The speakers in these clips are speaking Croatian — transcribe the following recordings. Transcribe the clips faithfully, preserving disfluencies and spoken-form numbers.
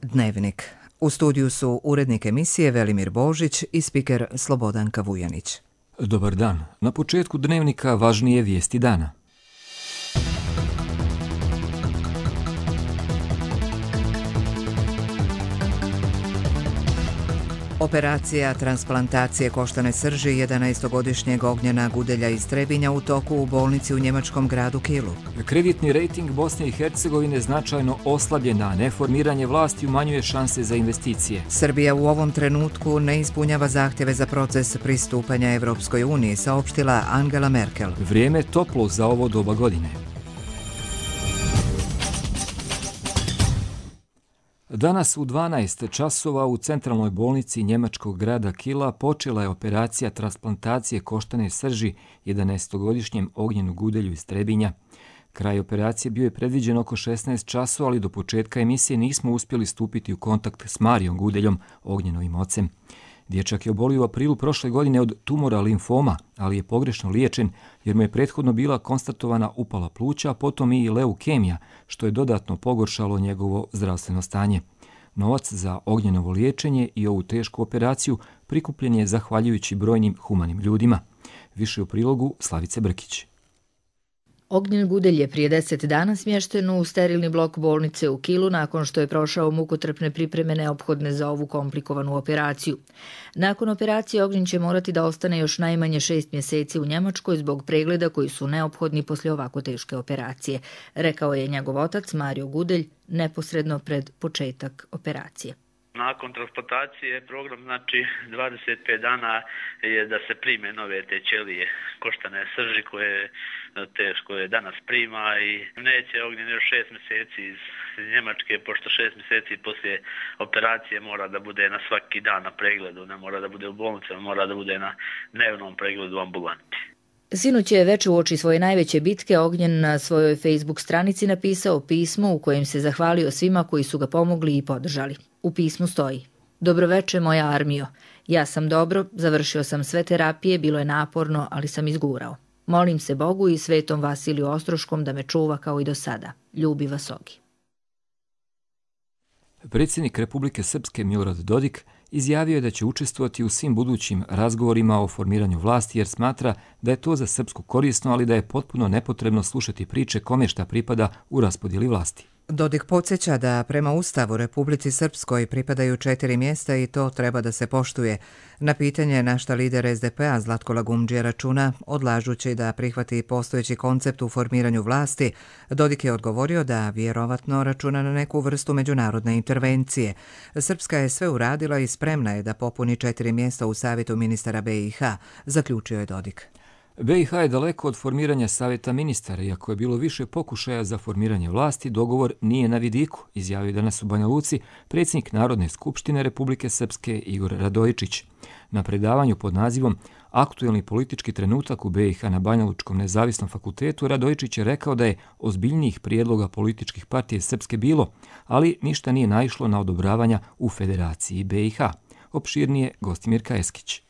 Dnevnik. U studiju su urednik emisije Velimir Božić i spiker Slobodanka Vujanić. Dobar dan. Na početku Dnevnika važnije vijesti dana. Operacija transplantacije koštane srži jedanaestogodišnjeg Ognjena Gudelja iz Trebinja u toku u bolnici u njemačkom gradu Kielu. Kreditni rejting Bosne i Hercegovine značajno oslabljen, a neformiranje vlasti umanjuje šanse za investicije. Srbija u ovom trenutku ne ispunjava zahtjeve za proces pristupanja Evropskoj uniji, saopštila Angela Merkel. Vrijeme toplo za ovo doba godine. Danas u dvanaest časova u centralnoj bolnici njemačkog grada Kiela počela je operacija transplantacije koštane srži jedanaestogodišnjem Ognjenu Gudelju iz Trebinja. Kraj operacije bio je predviđen oko šesnaest časova, ali do početka emisije nismo uspjeli stupiti u kontakt s Marijom Gudeljom, Ognjenovim ocem. Dječak je obolio u aprilu prošle godine od tumora limfoma, ali je pogrešno liječen jer mu je prethodno bila konstatovana upala pluća, a potom i leukemija, što je dodatno pogoršalo njegovo zdravstveno stanje. Novac za Ognjenovo liječenje i ovu tešku operaciju prikupljen je zahvaljujući brojnim humanim ljudima. Više u prilogu Slavice Brkić. Ognjen Gudelj je prije deset dana smješten u sterilni blok bolnice u Kielu nakon što je prošao mukotrpne pripreme neophodne za ovu komplikovanu operaciju. Nakon operacije Ognjen će morati da ostane još najmanje šest mjeseci u Njemačkoj zbog pregleda koji su neophodni poslije ovako teške operacije, rekao je njegov otac Mario Gudelj neposredno pred početak operacije. Nakon transplantacije program znači dvadeset pet dana je da se prime nove te ćelije koštane srži koje teško je danas prima i neće Ognjen još šest mjeseci iz Njemačke, pošto šest mjeseci poslije operacije mora da bude na svaki dan na pregledu, ne mora da bude u bolnici, mora da bude na dnevnom pregledu u ambulanti. Sinoć je već uoči svoje najveće bitke Ognjen na svojoj Facebook stranici napisao pismo u kojem se zahvalio svima koji su ga pomogli i podržali. U pismu stoji: Dobroveče moja armijo, ja sam dobro, završio sam sve terapije, bilo je naporno, ali sam izgurao. Molim se Bogu i svetom Vasiliju Ostroškom da me čuva kao i do sada. Ljubi vas Ogi. Predsjednik Republike Srpske Milorad Dodik izjavio je da će učestvovati u svim budućim razgovorima o formiranju vlasti jer smatra da je to za Srpsku korisno, ali da je potpuno nepotrebno slušati priče kome šta pripada u raspodjeli vlasti. Dodik podsjeća da prema Ustavu Republici Srpskoj pripadaju četiri mjesta i to treba da se poštuje. Na pitanje na šta lider es de pe a Zlatko Lagumdžija računa, odlažući da prihvati postojeći koncept u formiranju vlasti, Dodik je odgovorio da vjerovatno računa na neku vrstu međunarodne intervencije. Srpska je sve uradila i spremna je da popuni četiri mjesta u Savjetu ministara be i ha, zaključio je Dodik. be i ha je daleko od formiranja savjeta ministara, iako je bilo više pokušaja za formiranje vlasti, dogovor nije na vidiku, izjavio danas u Banja Luci predsjednik Narodne skupštine Republike Srpske Igor Radojičić. Na predavanju pod nazivom Aktuelni politički trenutak u be i ha na Banja Lučkom nezavisnom fakultetu Radojičić je rekao da je ozbiljnijih prijedloga političkih partije Srpske bilo, ali ništa nije naišlo na odobravanja u Federaciji be i ha. Opširnije Gostimirka Eskić.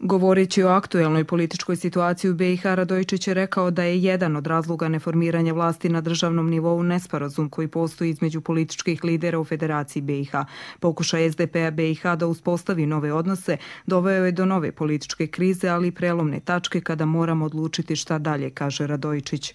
Govoreći o aktuelnoj političkoj situaciji u be i ha, Radojičić je rekao da je jedan od razloga neformiranja vlasti na državnom nivou nesporazum koji postoji između političkih lidera u Federaciji be i ha. Pokušaj es de pe a be i ha da uspostavi nove odnose doveo je do nove političke krize, ali i prelomne tačke kada moramo odlučiti šta dalje, kaže Radojičić.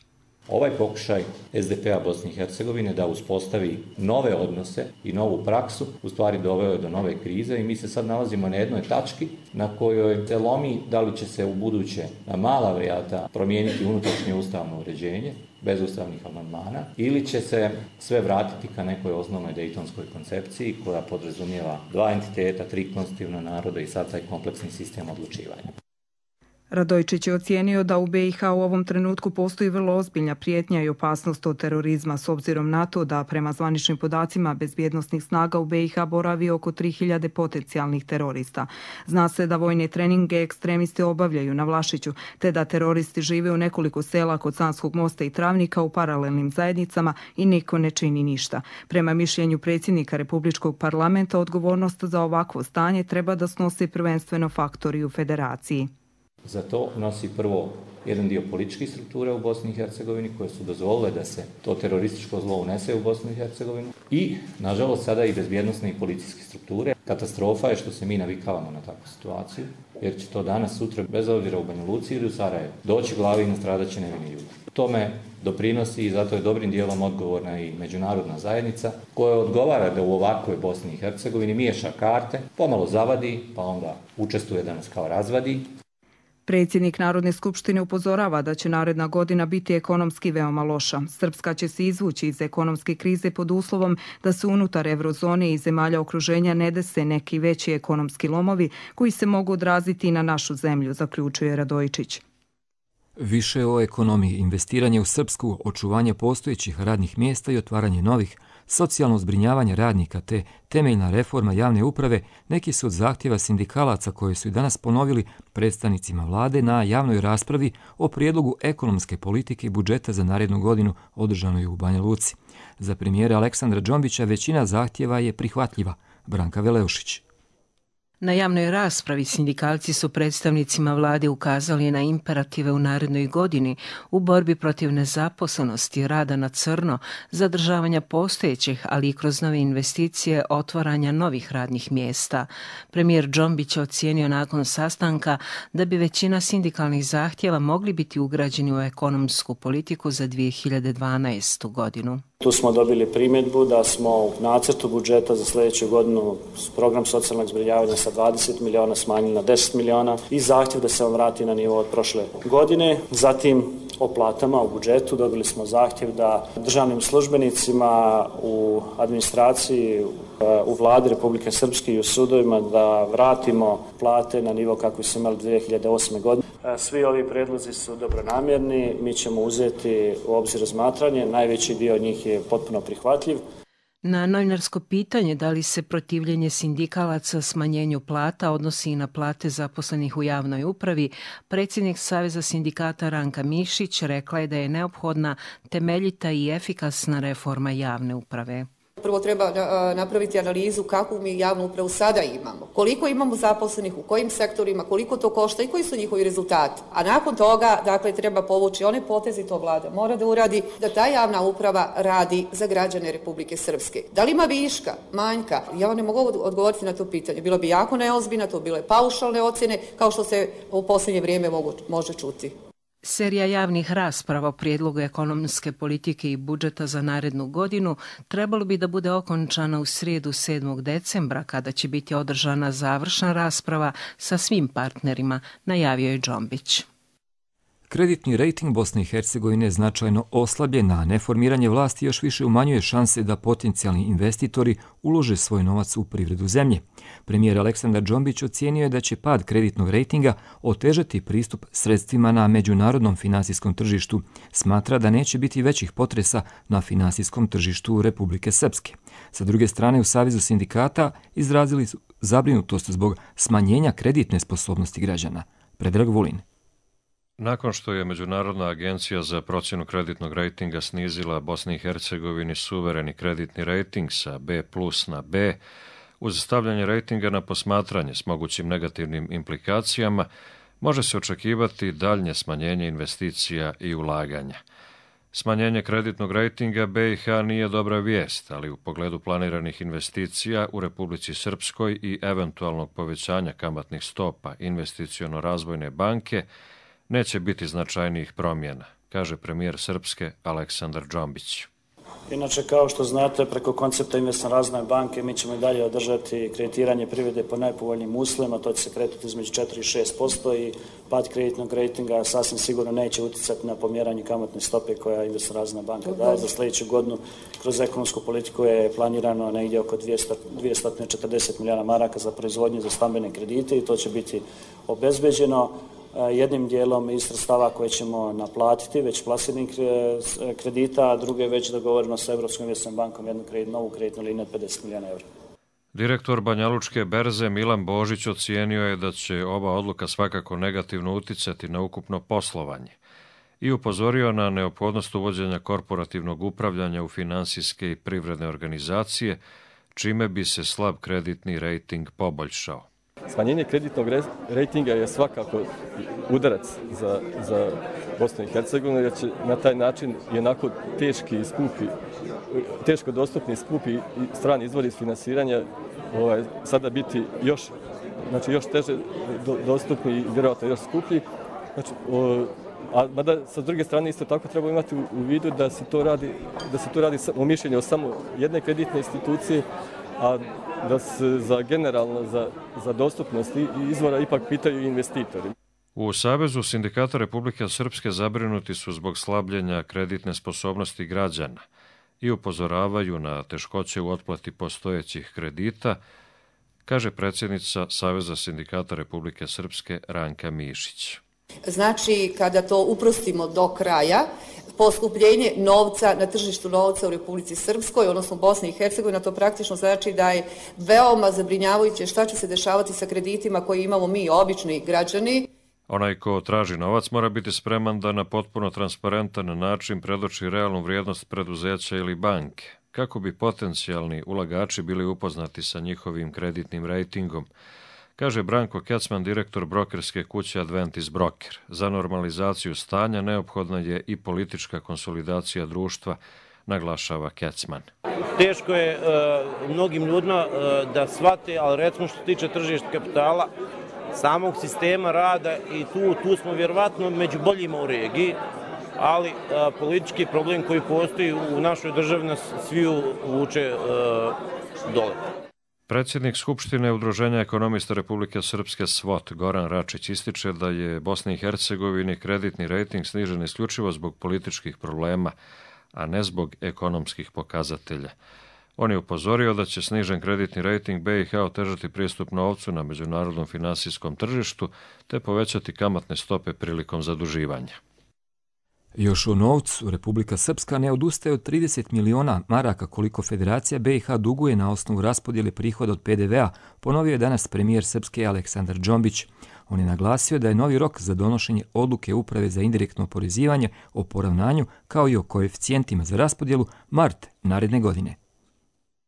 Ovaj pokušaj es de pe a Bosne i Hercegovine da uspostavi nove odnose i novu praksu u stvari doveo je do nove krize i mi se sad nalazimo na jednoj tački na kojoj se lomi da li će se u buduće na mala vrata promijeniti unutrašnje ustavno uređenje bez ustavnih amandmana ili će se sve vratiti ka nekoj osnovnoj dejtonskoj koncepciji koja podrazumijeva dva entiteta, tri konstitutivna naroda i sad taj kompleksni sistem odlučivanja. Radojičić je ocijenio da u be i ha u ovom trenutku postoji vrlo ozbiljna prijetnja i opasnost od terorizma s obzirom na to da prema zvaničnim podacima bezbjednosnih snaga u be i ha boravi oko tri hiljade potencijalnih terorista. Zna se da vojne treninge ekstremisti obavljaju na Vlašiću, te da teroristi žive u nekoliko sela kod Sanskog mosta i Travnika u paralelnim zajednicama i niko ne čini ništa. Prema mišljenju predsjednika Republičkog parlamenta, odgovornost za ovakvo stanje treba da snose prvenstveno faktori u Federaciji. Za to nosi prvo jedan dio političkih struktura u Bosni i Hercegovini koje su dozvolile da se to terorističko zlo unese u Bosnu i Hercegovinu i, nažalost, sada i bezbjednosne i policijske strukture. Katastrofa je što se mi navikavamo na takvu situaciju, jer će to danas, sutra, bez obzira u Banja Luci ili u Sarajevu, doći glavi i nastradat će nevini ljudi. Tome doprinosi i zato je dobrim dijelom odgovorna i međunarodna zajednica koja odgovara da u ovakvoj Bosni i Hercegovini miješa karte, pomalo zavadi, pa onda učestvuje da nas kao razvadi. Predsjednik Narodne skupštine upozorava da će naredna godina biti ekonomski veoma loša. Srpska će se izvući iz ekonomske krize pod uslovom da se unutar eurozone i zemalja okruženja ne dese neki veći ekonomski lomovi koji se mogu odraziti i na našu zemlju, zaključuje Radojičić. Više o ekonomiji, investiranje u Srpsku, očuvanje postojećih radnih mjesta i otvaranje novih, socijalno zbrinjavanje radnika te temeljna reforma javne uprave neki su od zahtjeva sindikalaca koje su i danas ponovili predstavnicima vlade na javnoj raspravi o prijedlogu ekonomske politike i budžeta za narednu godinu održanoj u Banja Luci. Za premijera Aleksandra Džombića većina zahtjeva je prihvatljiva. Branka Veleušić. Na javnoj raspravi sindikalci su predstavnicima vlade ukazali na imperative u narednoj godini u borbi protiv nezaposlenosti, rada na crno, zadržavanja postojećih, ali i kroz nove investicije, otvaranja novih radnih mjesta. Premijer Džombić je ocijenio nakon sastanka da bi većina sindikalnih zahtjeva mogli biti ugrađeni u ekonomsku politiku za dvije hiljade dvanaestu godinu. Tu smo dobili primjedbu da smo u nacrtu budžeta za sljedeću godinu program socijalnog zbrinjavanja sa dvadeset miliona smanjili na deset miliona i zahtjev da se on vrati na nivo od prošle godine. Zatim o platama u budžetu dobili smo zahtjev da državnim službenicima u administraciji, u vladi Republike Srpske i u sudovima da vratimo plate na nivo kako su imali dvije hiljade osme. godine. Svi ovi predlozi su dobronamjerni, mi ćemo uzeti u obzir razmatranje, najveći dio njih je potpuno prihvatljiv. Na novinarsko pitanje da li se protivljenje sindikalaca smanjenju plata odnosi i na plate zaposlenih u javnoj upravi, predsjednik Saveza sindikata Ranka Mišić rekla je da je neophodna temeljita i efikasna reforma javne uprave. Prvo treba napraviti analizu kakvu mi javnu upravu sada imamo, koliko imamo zaposlenih, u kojim sektorima, koliko to košta i koji su njihovi rezultati. A nakon toga, dakle, treba povući one potezi, to vlada mora da uradi, da ta javna uprava radi za građane Republike Srpske. Da li ima viška, manjka? Ja vam ne mogu odgovoriti na to pitanje. Bilo bi jako neozbiljno, to bile paušalne ocjene, kao što se u posljednje vrijeme mogu, može čuti. Serija javnih rasprava o prijedlogu ekonomske politike i budžeta za narednu godinu trebalo bi da bude okončana u srijedu sedmog decembra, kada će biti održana završna rasprava sa svim partnerima, najavio je Džombić. Kreditni rejting Bosne i Hercegovine je značajno oslabljen, a neformiranje vlasti još više umanjuje šanse da potencijalni investitori ulože svoj novac u privredu zemlje. Premijer Aleksandar Džombić ocijenio je da će pad kreditnog rejtinga otežati pristup sredstvima na međunarodnom finansijskom tržištu. Smatra da neće biti većih potresa na finansijskom tržištu Republike Srpske. Sa druge strane, u Savezu sindikata izrazili su zabrinutost zbog smanjenja kreditne sposobnosti građana. Predrag Vulin. Nakon što je Međunarodna agencija za procjenu kreditnog rejtinga snizila Bosni i Hercegovini suvereni kreditni rejting sa B plus na B, uz stavljanje rejtinga na posmatranje s mogućim negativnim implikacijama, može se očekivati daljnje smanjenje investicija i ulaganja. Smanjenje kreditnog rejtinga B i H nije dobra vijest, ali u pogledu planiranih investicija u Republici Srpskoj i eventualnog povećanja kamatnih stopa investiciono-razvojne banke neće biti značajnijih promjena, kaže premijer Srpske Aleksandar Džombić. Inače, kao što znate, preko koncepta investiciono razvojne banke mi ćemo i dalje održati kreditiranje privrede po najpovoljnijim uslovima, to će se kretati između četiri i šest posto i pad kreditnog rejtinga sasvim sigurno neće utjecati na pomjeranje kamatne stope koja investiciono razvojna banka daje. Za sljedeću godinu kroz ekonomsku politiku je planirano negdje oko dvjesto četrdeset milijuna maraka za proizvodnju za stambene kredite i to će biti obezbeđeno jednim dijelom iz sredstava koje ćemo naplatiti, već plasiranih kredita, a druge već dogovoreno sa Europskom investicijskom bankom jednu kredit, novu kreditnu liniju od pedeset milijuna eura. Direktor Banjalučke berze Milan Božić ocijenio je da će ova odluka svakako negativno uticati na ukupno poslovanje i upozorio na neophodnost uvođenja korporativnog upravljanja u finansijske i privredne organizacije, čime bi se slab kreditni rejting poboljšao. Smanjenje kreditnog rejtinga je svakako udarac za, za Bosnu i Hercegovinu, jer će na taj način i onako teški i skupi, teško dostupni skupi strani izvori finansiranja ovaj, sada biti još, znači još teže do, dostupni i vjerojatno još skuplji. Znači, o, a mada sa druge strane isto tako treba imati u, u vidu da se to radi, da se to radi u mišljenju o samo jedne kreditne institucije, a da se za generalno za, za dostupnost izvora ipak pitaju investitori. U Savezu sindikata Republike Srpske zabrinuti su zbog slabljenja kreditne sposobnosti građana i upozoravaju na teškoće u otplati postojećih kredita, kaže predsjednica Saveza sindikata Republike Srpske Ranka Mišić. Znači, kada to uprostimo do kraja, poskupljenje novca na tržištu novca u Republici Srpskoj, odnosno Bosni i Hercegovina, to praktično znači da je veoma zabrinjavajuće šta će se dešavati sa kreditima koje imamo mi, obični građani. Onaj ko traži novac mora biti spreman da na potpuno transparentan način predoči realnu vrijednost preduzeća ili banke, kako bi potencijalni ulagači bili upoznati sa njihovim kreditnim rejtingom, kaže Branko Kecman, direktor brokerske kuće Adventis Broker. Za normalizaciju stanja neophodna je i politička konsolidacija društva, naglašava Kecman. Teško je uh, mnogim ljudima uh, da shvate, ali recimo što se tiče tržišta kapitala, samog sistema rada i tu, tu smo vjerovatno među boljima u regiji, ali a, politički problem koji postoji u našoj državi nas sviju vuče a, dole. Predsjednik Skupštine Udruženja ekonomista Republike Srpske S V O T Goran Račić ističe da je Bosni i Hercegovini kreditni rejting snižen isključivo zbog političkih problema, a ne zbog ekonomskih pokazatelja. On je upozorio da će snižen kreditni rejting B i H otežati pristup novcu na međunarodnom finansijskom tržištu te povećati kamatne stope prilikom zaduživanja. Još o novcu, Republika Srpska ne odustaje od trideset miliona maraka koliko Federacija B i H duguje na osnovu raspodjele prihoda od P D V a, ponovio je danas premijer Srpske Aleksandar Džombić. On je naglasio da je novi rok za donošenje odluke Uprave za indirektno oporezivanje o poravnanju kao i o koeficijentima za raspodjelu mart naredne godine.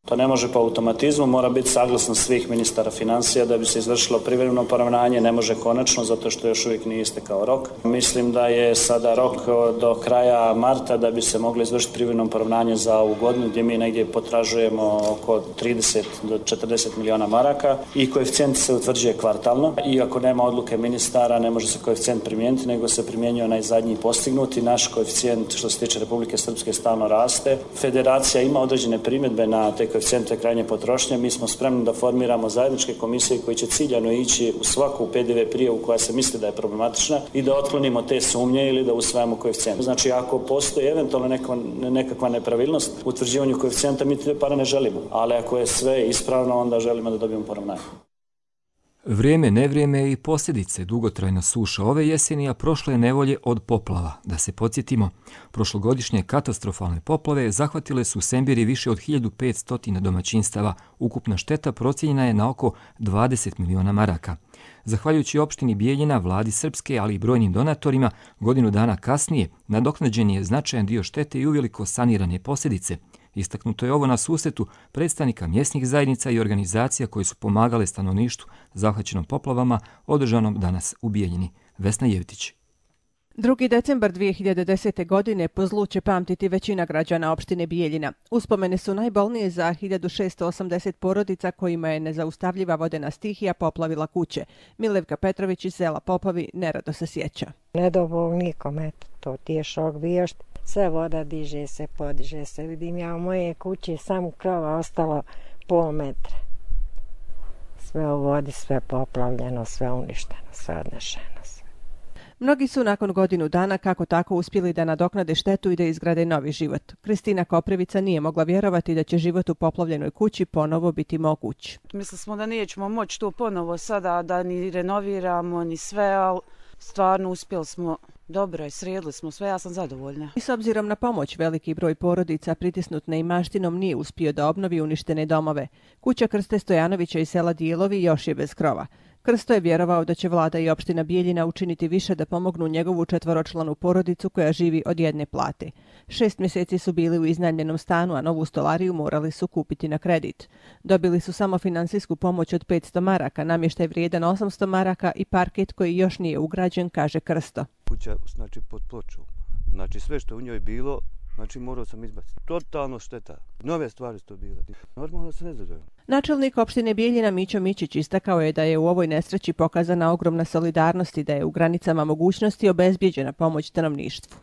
To ne može po automatizmu, mora biti saglasno svih ministara financija da bi se izvršilo privremeno poravnanje, ne može konačno zato što još uvijek nije istekao rok. Mislim da je sada rok do kraja marta da bi se moglo izvršiti privremeno poravnanje za ovu godinu gdje mi negdje potražujemo oko trideset do četrdeset miliona maraka i koeficijent se utvrđuje kvartalno. Iako nema odluke ministara, ne može se koeficijent primijeniti, nego se primjenjuje onaj zadnji postignuti. Naš koeficijent što se tiče Republike Srpske stalno raste. Federacija ima određene primjedbe na te koeficijente krajnje potrošnje. Mi smo spremni da formiramo zajedničke komisije koji će ciljano ići u svaku P D V prijavu koja se misli da je problematična i da otklonimo te sumnje ili da usvajamo koeficijent. Znači, ako postoji eventualno neka, nekakva nepravilnost u utvrđivanju koeficijenta, mi te pare ne želimo. Ali ako je sve ispravno, onda želimo da dobijemo poravnanje. Vrijeme, nevrijeme i posljedice dugotrajna suša ove jeseni, a prošle nevolje od poplava. Da se podsjetimo, prošlogodišnje katastrofalne poplave zahvatile su u Sembiri više od hiljadu petsto domaćinstava. Ukupna šteta procijenjena je na oko dvadeset miliona maraka. Zahvaljujući opštini Bijeljina, vladi Srpske, ali i brojnim donatorima, godinu dana kasnije nadoknađen je značajan dio štete i uveliko sanirane posljedice. Istaknuto je ovo na susretu predstavnika mjesnih zajednica i organizacija koje su pomagale stanovništvu zahvaćenom poplavama, održanom danas u Bijeljini. Vesna Jevtić. drugi decembar dvije hiljade desete. godine po zlu će pamtiti većina građana opštine Bijeljina. Uspomene su najbolnije za hiljadu šesto osamdeset porodica kojima je nezaustavljiva vodena stihija poplavila kuće. Milevka Petrović iz sela Popovi nerado se sjeća. Ne do Bog nikom, eto, to ti je šok bio. Sve voda diže se, podiže se. Vidim ja u moje kući samo krova ostalo pol metra. Sve u vodi, sve poplavljeno, sve uništeno, sve odnešeno. Mnogi su nakon godinu dana kako tako uspjeli da nadoknade štetu i da izgrade novi život. Kristina Koprivica nije mogla vjerovati da će život u poplavljenoj kući ponovo biti moguć. Mislili smo da nećemo moći to ponovo sada, da ni renoviramo, ni sve, ali stvarno uspjeli smo. Dobro, sredili smo sve, ja sam zadovoljna. I s obzirom na pomoć, veliki broj porodica pritisnut neimaštinom nije uspio da obnovi uništene domove. Kuća Krste Stojanovića iz sela Dijelovi još je bez krova. Krsto je vjerovao da će vlada i opština Bijeljina učiniti više da pomognu njegovu četvoročlanu porodicu koja živi od jedne plate. Šest mjeseci su bili u iznajmljenom stanu, a novu stolariju morali su kupiti na kredit. Dobili su samo finansijsku pomoć od petsto maraka, namještaj vrijedan osamsto maraka i parket koji još nije ugrađen, kaže Krsto. Kuća, znači, pod pločom. Znači, sve što u njoj bilo, znači, morao sam izbaciti. Totalno šteta. Nove stvari su to bile. Normalno se ne zadovoljam. Načelnik opštine Bijeljina Mićo Mićić istakao je da je u ovoj nesreći pokazana ogromna solidarnost i da je u granicama mogućnosti obezbijeđena pomoć stanovništvu.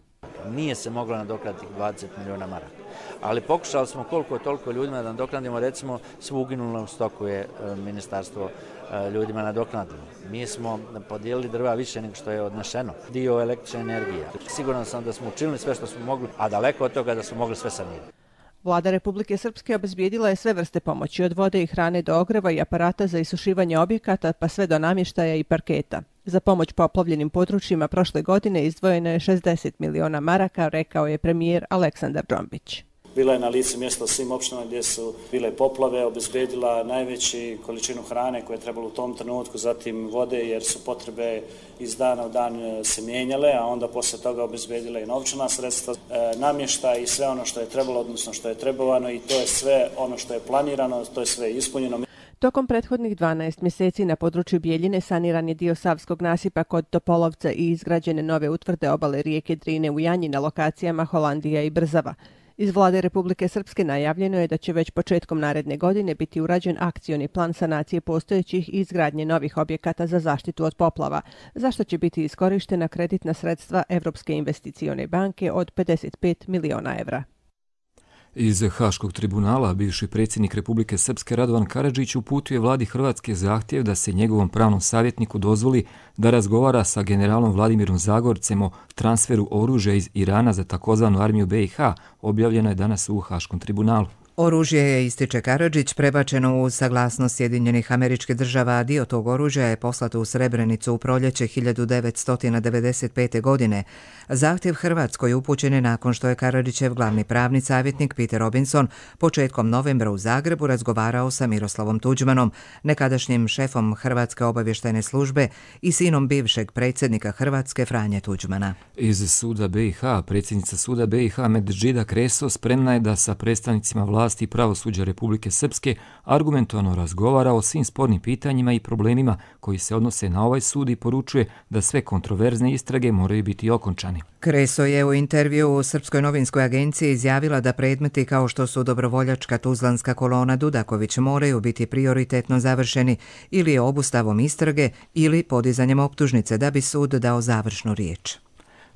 Nije se moglo nadoknaditi dvadeset miliona maraka, ali pokušali smo koliko toliko ljudima da nadoknadimo, recimo svu uginulom stoku je ministarstvo ljudima nadoknadilo. Mi smo podijelili drva više nego što je odnešeno, dio električne energije. Siguran sam da smo učinili sve što smo mogli, a daleko od toga da smo mogli sve sanirati. Vlada Republike Srpske obezbijedila je sve vrste pomoći, od vode i hrane do ogreva i aparata za isušivanje objekata, pa sve do namještaja i parketa. Za pomoć poplavljenim područjima prošle godine izdvojeno je šezdeset miliona maraka, rekao je premijer Aleksandar Džombić. Bila je na licu mjesta u svim opštinama gdje su bile poplave, obezbedila najveći količinu hrane koje je trebalo u tom trenutku, zatim vode jer su potrebe iz dana u dan se mijenjale, a onda poslije toga obezbedila i novčana sredstva, e, namještaj i sve ono što je trebalo, odnosno što je trebovano, i to je sve ono što je planirano, to je sve ispunjeno. Tokom prethodnih dvanaest mjeseci na području Bijeljine saniran je dio Savskog nasipa kod Topolovca i izgrađene nove utvrde obale rijeke Drine u Janji na lokacijama Holandija i Brzava. Iz vlade Republike Srpske najavljeno je da će već početkom naredne godine biti urađen akcioni plan sanacije postojećih i izgradnje novih objekata za zaštitu od poplava, za što će biti iskorištena kreditna sredstva Evropske investicione banke od pedeset pet miliona evra. Iz Haškog tribunala bivši predsjednik Republike Srpske Radovan Karadžić uputio je vladi Hrvatske zahtjev da se njegovom pravnom savjetniku dozvoli da razgovara sa generalom Vladimirom Zagorcem o transferu oružja iz Irana za takozvanu armiju B i H, objavljeno je danas u Haškom tribunalu. Oružje je, ističe Karadžić, prebačeno uz saglasnost Sjedinjenih Američkih Država, a dio tog oružja je poslato u Srebrenicu u proljeće hiljadu devetsto devedeset pete. godine. Zahtjev Hrvatskoj upućen je nakon što je Karadžićev glavni pravni savjetnik Peter Robinson početkom novembra u Zagrebu razgovarao sa Miroslavom Tuđmanom, nekadašnjim šefom Hrvatske obavještajne službe i sinom bivšeg predsjednika Hrvatske Franje Tuđmana. Iz suda B i H, predsjednica suda B i H Medžida Kreso spremna je da sa predstavnicima vlasti i pravosuđa Republike Srpske argumentovano razgovara o svim spornim pitanjima i problemima koji se odnose na ovaj sud i poručuje da sve kontroverzne istrage moraju biti okončani. Kreso je u intervju u Srpskoj novinskoj agenciji izjavila da predmeti kao što su dobrovoljačka tuzlanska kolona Dudaković moraju biti prioritetno završeni ili obustavom istrage ili podizanjem optužnice da bi sud dao završnu riječ.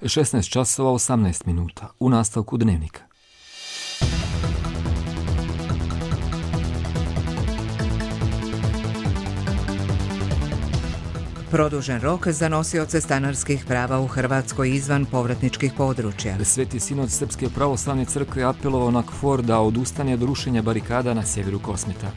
šesnaest časova osamnaest minuta u nastavku Dnevnika. Produžen rok za nosioce stanarskih prava u Hrvatskoj izvan povratničkih područja. Sveti sinod Srpske pravoslavne crkve apelovao na KFOR da odustane od rušenja barikada na sjeveru Kosmeta.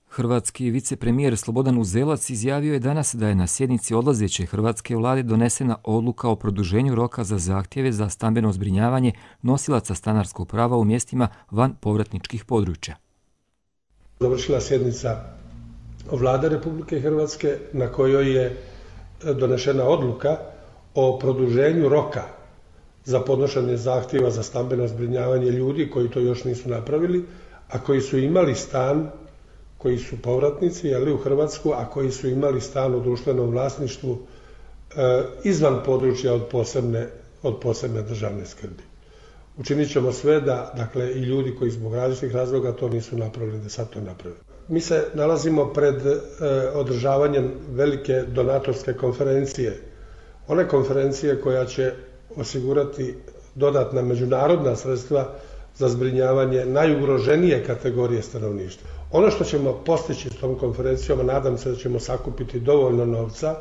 Hrvatski vicepremijer Slobodan Uzelac izjavio je danas da je na sjednici odlazeće hrvatske vlade donesena odluka o produženju roka za zahtjeve za stambeno zbrinjavanje nosilaca stanarskog prava u mjestima van povratničkih područja. Završila sjednica vlade Republike Hrvatske na kojoj je donešena odluka o produženju roka za podnošenje zahtjeva za stambeno zbrinjavanje ljudi koji to još nisu napravili, a koji su imali stan, koji su povratnici ali u Hrvatsku, a koji su imali stan u društvenom vlasništvu e, izvan područja od posebne, od posebne državne skrbi. Učinit ćemo sve da, dakle, i ljudi koji zbog različitih razloga to nisu napravili, da sad to naprave. Mi se nalazimo pred e, održavanjem velike donatorske konferencije. One konferencije koja će osigurati dodatna međunarodna sredstva za zbrinjavanje najugroženije kategorije stanovništva. Ono što ćemo postići s tom konferencijom, a nadam se da ćemo sakupiti dovoljno novca,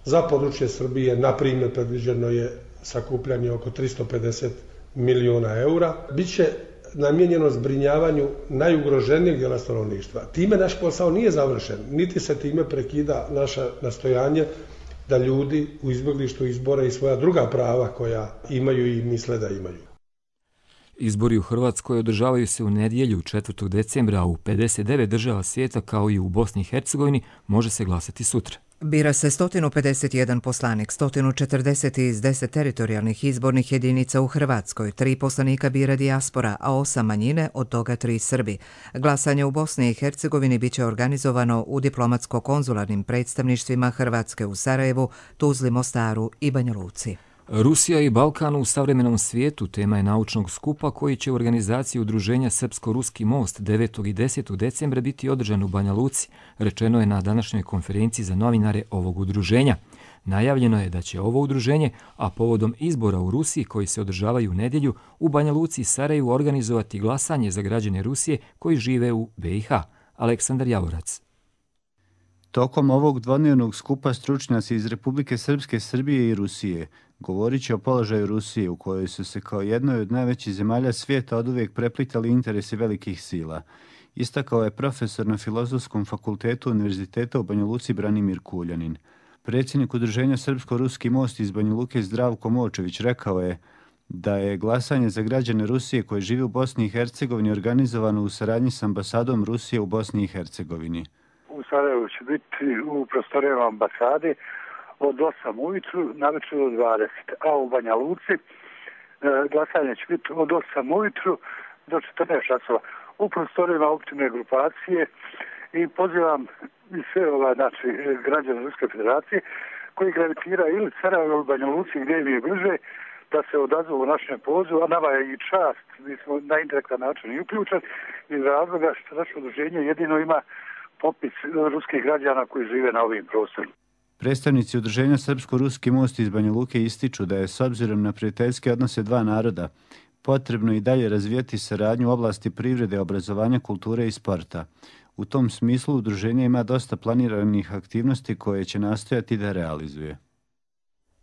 za područje Srbije, na primjer, predviđeno je sakupljanje oko tristo pedeset milijuna eura, bit će namijenjeno zbrinjavanju najugroženijeg dijela stanovništva. Time naš posao nije završen, niti se time prekida naše nastojanje da ljudi u izbjeglištu izbore i svoja druga prava koja imaju i misle da imaju. Izbori u Hrvatskoj održavaju se u nedjelju četvrtog decembra, a u pedeset devet država svijeta kao i u Bosni i Hercegovini može se glasati sutra. Bira se sto pedeset jedan poslanik, sto četrdeset iz deset teritorijalnih izbornih jedinica u Hrvatskoj, tri poslanika bira dijaspora, a osam manjine, od toga tri Srbi. Glasanje u Bosni i Hercegovini biće organizovano u diplomatsko-konzularnim predstavništvima Hrvatske u Sarajevu, Tuzli, Mostaru i Banja Luci. Rusija i Balkan u savremenom svijetu tema je naučnog skupa koji će u organizaciji udruženja Srpsko-Ruski most devetog i desetog decembra biti održan u Banja Luci, rečeno je na današnjoj konferenciji za novinare ovog udruženja. Najavljeno je da će ovo udruženje, a povodom izbora u Rusiji koji se održavaju u nedjelju, u Banja Luci i Sarajevu organizovati glasanje za građane Rusije koji žive u B i H. Aleksandar Javorac. Tokom ovog dvodnevnog skupa stručnjaci iz Republike Srpske, Srbije i Rusije govorit će o položaju Rusije u kojoj su se kao jednoj od najvećih zemalja svijeta oduvijek preplitali interesi velikih sila. Istakao je profesor na Filozofskom fakultetu Univerziteta u Banja Luci Branimir Kuljanin. Predsjednik udruženja Srpsko-Ruski most iz Banja Luke Zdravko Močević rekao je da je glasanje za građane Rusije koji žive u Bosni i Hercegovini organizovano u saradnji s ambasadom Rusije u Bosni i Hercegovini. U Sarajevu će biti u prostorijama ambasade od osam ujutru navečer do dvadeset, a u Banja Luci e, glasanje će biti od osam ujutru do četrnaest časova u prostorijama općine grupacije i pozivam i sve ova, znači, građane Ruske federacije koji gravitiraju ili Sarajevo ili Banja Luci gdje im je bliže da se odazovu u našem pozivu, a nama je i čast, mi smo na indirektan način i uključeni iz razloga što naše udruženje jedino ima popis ruskih građana koji žive na ovim prostorima. Predstavnici udruženja Srpsko-Ruski most iz Banja Luke ističu da je s obzirom na prijateljske odnose dva naroda potrebno i dalje razvijati saradnju u oblasti privrede, obrazovanja, kulture i sporta. U tom smislu udruženje ima dosta planiranih aktivnosti koje će nastojati da realizuje.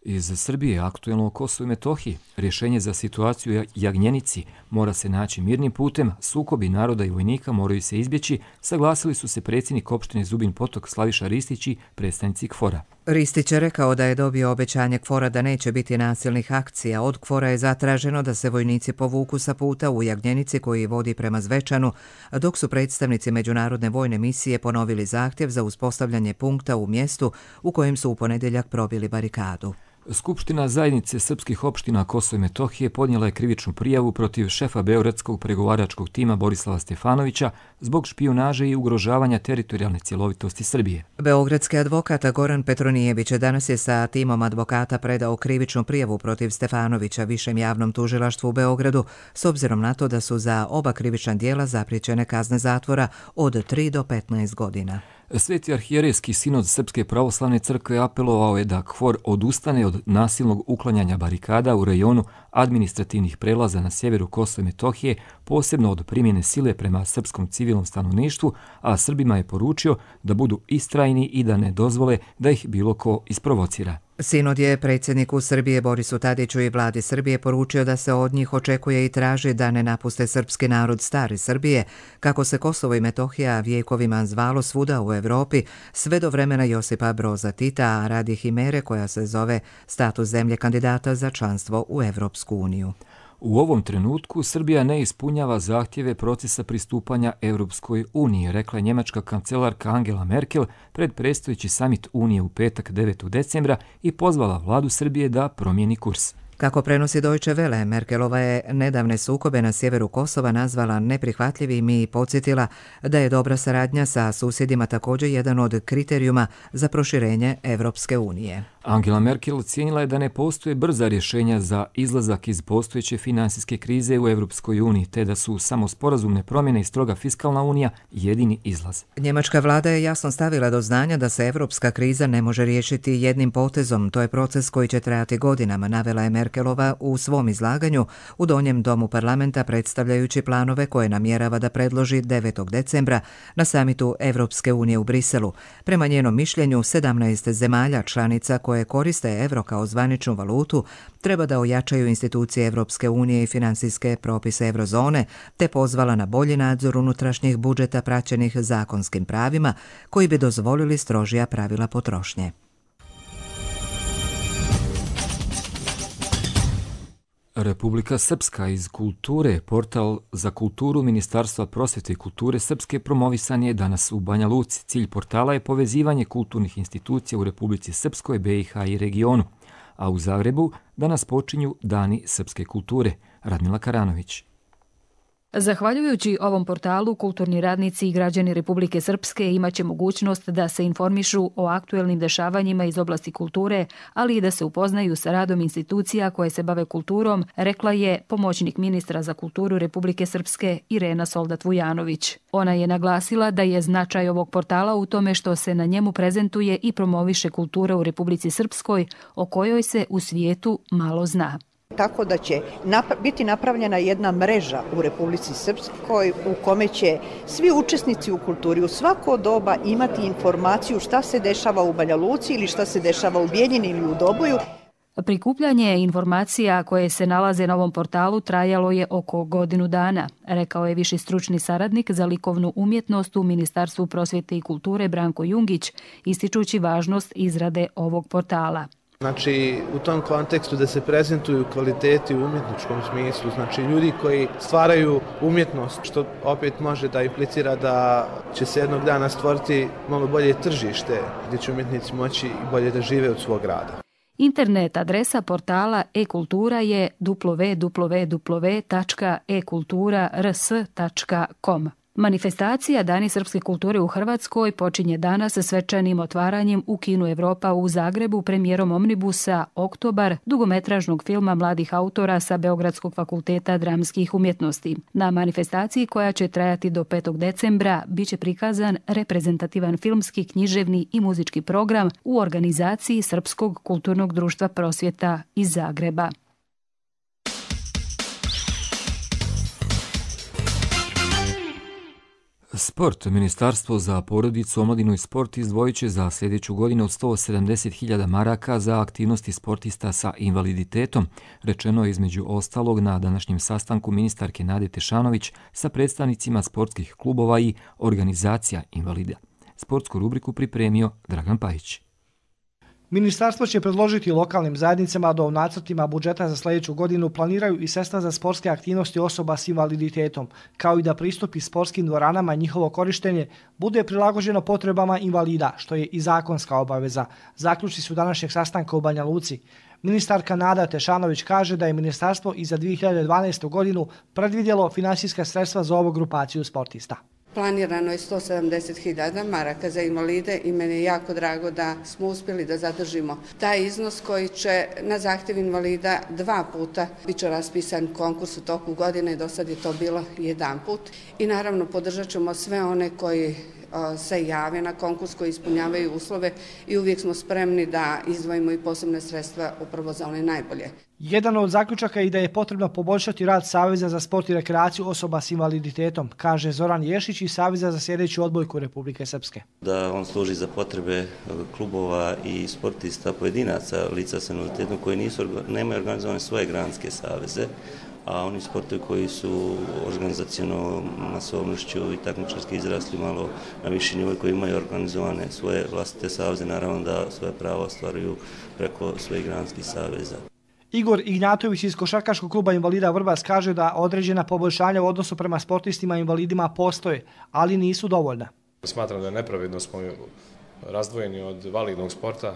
Iz Srbije aktuelno o Kosovu i Metohiji. Rješenje za situaciju u Jagnjenici mora se naći mirnim putem, sukobi naroda i vojnika moraju se izbjeći, saglasili su se predsjednik opštine Zubin Potok Slaviša Ristić i predstavnici KFOR-a. Ristić je rekao da je dobio obećanje KFOR-a da neće biti nasilnih akcija. Od KFOR-a je zatraženo da se vojnici povuku sa puta u Jagnjenici koji vodi prema Zvečanu, dok su predstavnici međunarodne vojne misije ponovili zahtjev za uspostavljanje punkta u mjestu u kojem su u ponedjeljak probili barikadu. Skupština zajednice srpskih opština Kosovo i Metohije podnijela je krivičnu prijavu protiv šefa beogradskog pregovaračkog tima Borislava Stefanovića zbog špijunaže i ugrožavanja teritorijalne cjelovitosti Srbije. Beogradski advokat Goran Petronijević danas je sa timom advokata predao krivičnu prijavu protiv Stefanovića Višem javnom tužilaštvu u Beogradu, s obzirom na to da su za oba krivična djela zapriječene kazne zatvora od tri do petnaest godina. Sveti arhijerejski sinod Srpske pravoslavne crkve apelovao je da KFOR odustane od nasilnog uklanjanja barikada u rejonu administrativnih prelaza na sjeveru Kosova i Metohije, posebno od primjene sile prema srpskom civilnom stanovništvu, a Srbima je poručio da budu istrajni i da ne dozvole da ih bilo ko isprovocira. Sinod je predsjedniku Srbije Borisu Tadiću i vladi Srbije poručio da se od njih očekuje i traži da ne napuste srpski narod stare Srbije, kako se Kosovo i Metohija vjekovima zvalo svuda u Evropi, sve do vremena Josipa Broza Tita, a radi himere koja se zove status zemlje kandidata za članstvo u Evropsku uniju. U ovom trenutku Srbija ne ispunjava zahtjeve procesa pristupanja Evropskoj uniji, rekla je njemačka kancelarka Angela Merkel pred predstojeći samit Unije u petak devetog decembra i pozvala vladu Srbije da promijeni kurs. Kako prenosi Deutsche Welle, Merkelova je nedavne sukobe na sjeveru Kosova nazvala neprihvatljivim i podsjetila da je dobra saradnja sa susjedima također jedan od kriterijuma za proširenje Evropske unije. Angela Merkel cijenila je da ne postoje brza rješenja za izlazak iz postojeće finansijske krize u Evropskoj uniji, te da su samo sporazumne promjene i stroga fiskalna unija jedini izlaz. Njemačka vlada je jasno stavila do znanja da se evropska kriza ne može riješiti jednim potezom. To je proces koji će trajati godinama, navela je Merkelova u svom izlaganju u Donjem domu parlamenta predstavljajući planove koje namjerava da predloži devetog decembra na samitu Evropske unije u Briselu. Prema njenom mišljenju, sedamnaest zemalja članica koje koriste evro kao zvaničnu valutu treba da ojačaju institucije Evropske unije i financijske propise eurozone, te pozvala na bolji nadzor unutrašnjih budžeta praćenih zakonskim pravima koji bi dozvolili strožija pravila potrošnje. Republika Srpska iz kulture, portal za kulturu Ministarstva prosvete i kulture Srpske promovisan je danas u Banja Luci. Cilj portala je povezivanje kulturnih institucija u Republici Srpskoj, B i H i regionu. A u Zagrebu danas počinju Dani srpske kulture. Radmila Karanović. Zahvaljujući ovom portalu, kulturni radnici i građani Republike Srpske imaće mogućnost da se informišu o aktuelnim dešavanjima iz oblasti kulture, ali i da se upoznaju sa radom institucija koje se bave kulturom, rekla je pomoćnik ministra za kulturu Republike Srpske Irena Soldat-Vujanović. Ona je naglasila da je značaj ovog portala u tome što se na njemu prezentuje i promoviše kultura u Republici Srpskoj, o kojoj se u svijetu malo zna. Tako da će napra- biti napravljena jedna mreža u Republici Srpskoj u kome će svi učesnici u kulturi u svako doba imati informaciju šta se dešava u Banja Luci ili šta se dešava u Bijeljini ili u Doboju. Prikupljanje informacija koje se nalaze na ovom portalu trajalo je oko godinu dana, rekao je viši stručni saradnik za likovnu umjetnost u Ministarstvu prosvjete i kulture Branko Jungić, ističući važnost izrade ovog portala. Znači, u tom kontekstu da se prezentuju kvaliteti u umjetničkom smislu, znači ljudi koji stvaraju umjetnost, što opet može da implicira da će se jednog dana stvoriti malo bolje tržište gdje će umjetnici moći bolje da žive od svog rada. Internet adresa portala e-kultura je w w w tačka e kultura r s tačka com. Manifestacija Dani srpske kulture u Hrvatskoj počinje danas sa svečanim otvaranjem u Kinu Evropa u Zagrebu premijerom omnibusa Oktobar, dugometražnog filma mladih autora sa Beogradskog fakulteta dramskih umjetnosti. Na manifestaciji koja će trajati do petog decembra biće prikazan reprezentativan filmski, književni i muzički program u organizaciji Srpskog kulturnog društva prosvjeta iz Zagreba. Sport. Ministarstvo za porodicu, omladinu i sport izdvojit će za sljedeću godinu od sto sedamdeset hiljada maraka za aktivnosti sportista sa invaliditetom, rečeno je između ostalog na današnjem sastanku ministarke Nade Tešanović sa predstavnicima sportskih klubova i organizacija invalida. Sportsku rubriku pripremio Dragan Pajić. Ministarstvo će predložiti lokalnim zajednicama da u nacrtima budžeta za sljedeću godinu planiraju i sredstva za sportske aktivnosti osoba s invaliditetom, kao i da pristupi sportskim dvoranama i njihovo korištenje bude prilagođeno potrebama invalida, što je i zakonska obaveza. Zaključci su današnjeg sastanka u Banja Luci. Ministarka Nada Tešanović kaže da je ministarstvo i za dvije hiljade dvanaestu godinu predvidjelo finansijska sredstva za ovu grupaciju sportista. Planirano je sto sedamdeset hiljada maraka za invalide i meni je jako drago da smo uspjeli da zadržimo taj iznos koji će na zahtjev invalida dva puta bit će raspisan konkurs u toku godine i do sad je to bilo jedan put. I naravno podržat ćemo sve one koji se jave na konkurs, koji ispunjavaju uslove i uvijek smo spremni da izdvojimo i posebne sredstva upravo za one najbolje. Jedan od zaključaka je da je potrebno poboljšati rad Saveza za sport i rekreaciju osoba s invaliditetom, kaže Zoran Ješić iz Saveza za sljedeću odbojku Republike Srpske. Da on služi za potrebe klubova i sportista pojedinaca lica s invaliditetom koji nisu, nemaju organizovane svoje granske saveze, a oni sportovi koji su organizaciono masovnošću i takmičarski izrasli malo na viši nivo koji imaju organizovane svoje vlastite saveze, naravno da svoje pravo ostvaruju preko svojih granskih saveza. Igor Ignjatović iz Košarkaškog kluba invalida Vrbas kaže da određena poboljšanja u odnosu prema sportistima i invalidima postoje, ali nisu dovoljna. Smatram da je nepravedno smo razdvojeni od validnog sporta.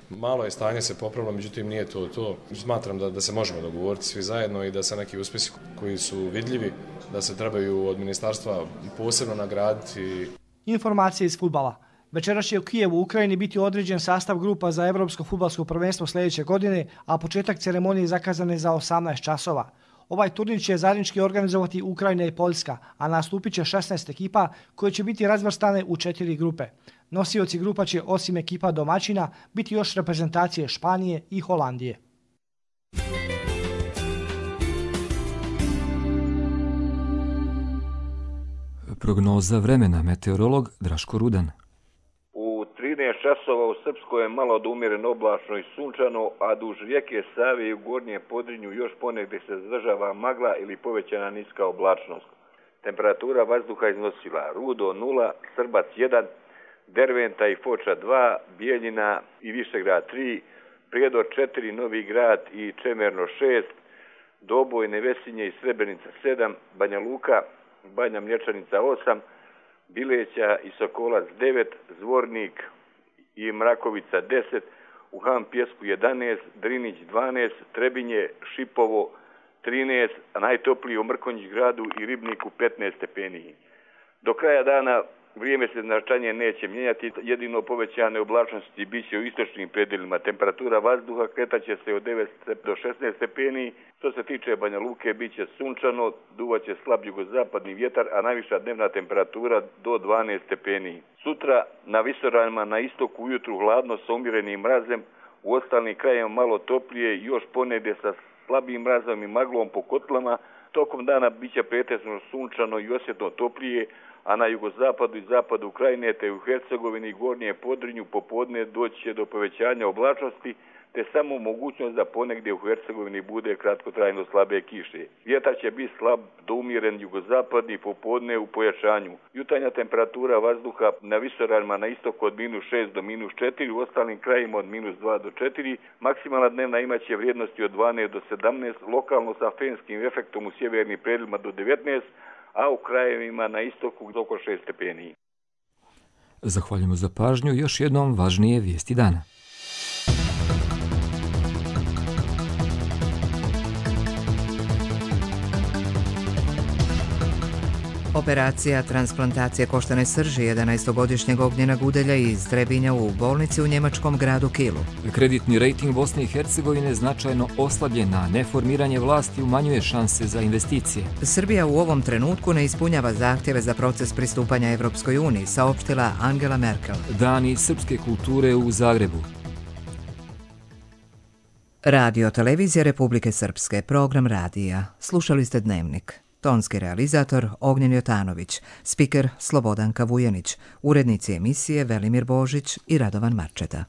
Malo je stanje se popravilo, međutim nije to to. Smatram da, da se možemo dogovoriti svi zajedno i da se neki uspjesi koji su vidljivi, da se trebaju od ministarstva posebno nagraditi. Informacije iz fudbala. Večeras će u Kijevu u Ukrajini biti određen sastav grupa za Evropsko fudbalsko prvenstvo sljedeće godine, a početak ceremonije zakazan je za osamnaest časova. Ovaj turnir će zajednički organizovati Ukrajina i Poljska, a nastupit će šesnaest ekipa koje će biti razvrstane u četiri grupe. Nosioci grupa će osim ekipa domaćina biti još reprezentacije Španije i Holandije. Prognoza vremena, meteorolog Draško Rudan. U trinaest časova u Srpskoj je malo od umjereno oblačno i sunčano, a duž rijeke Save i u gornjem Podrinju još ponegdje se zadržava magla ili povećana niska oblačnost. Temperatura vazduha iznosila Rudo nula, Srbac jedan, Derventa i Foča dva, Bijeljina i Višegrad tri, Prijedor četiri, Novi Grad i Čemerno šest, Doboj, Nevesinje i Srebrenica sedam, Banja Luka, Banja Mlječanica osam, Bileća i Sokolac devet, Zvornik i Mrakovica deset, u Han Pjesku jedanaest, Drinić dvanaest, Trebinje, Šipovo trinaest, a najtopliji u Mrkonjić gradu i Ribniku petnaest stepeni. Do kraja dana vrijeme se značajnije neće mijenjati, jedino povećane oblačnosti bit će u istočnim predelima. Temperatura vazduha kretaće se od devet do šesnaest stepeni. Što se tiče Banja Luke, bit će sunčano, duvaće slab jugozapadni vjetar, a najviša dnevna temperatura do dvanaest stepeni. Sutra na visoravnima na istoku ujutru hladno sa umjerenim mrazem, u ostalim krajevima malo toplije, još ponegdje sa slabim mrazom i maglom po kotlama. Tokom dana bit će pretežno sunčano i osjetno toplije, a na jugozapadu i zapadu Ukrajine te u Hercegovini i Gornje Podrinju popodne doći će do povećanja oblačnosti, te samo mogućnost da ponegdje u Hercegovini bude kratkotrajno slabe kiše. Vjetar će biti slab do umjeren jugozapadni popodne u pojačanju. Jutarnja temperatura vazduha na visoravnima na istoku od minus šest do minus četiri, u ostalim krajima od minus dva do četiri. Maksimalna dnevna imaće vrijednosti od dvanaest do sedamnaest, lokalno sa fenskim efektom u sjevernim predjelima do devetnaest, a u krajevima na istoku oko šest stepeni. Zahvaljujemo za pažnju. Još jednom važnije vijesti dana. Operacija transplantacije koštane srži jedanaestogodišnjeg Ognjena Gudelja iz Trebinja u bolnici u njemačkom gradu Kielu. Kreditni rejting Bosne i Hercegovine značajno oslabljen, a neformiranje vlasti umanjuje šanse za investicije. Srbija u ovom trenutku ne ispunjava zahtjeve za proces pristupanja Evropskoj uniji, saopštila Angela Merkel. Dani srpske kulture u Zagrebu. Radio Televizija Republike Srpske, program radija. Slušali ste Dnevnik. Tonski realizator Ognjen Jotanović, spiker Slobodanka Vujanić, urednici emisije Velimir Božić i Radovan Marčeta.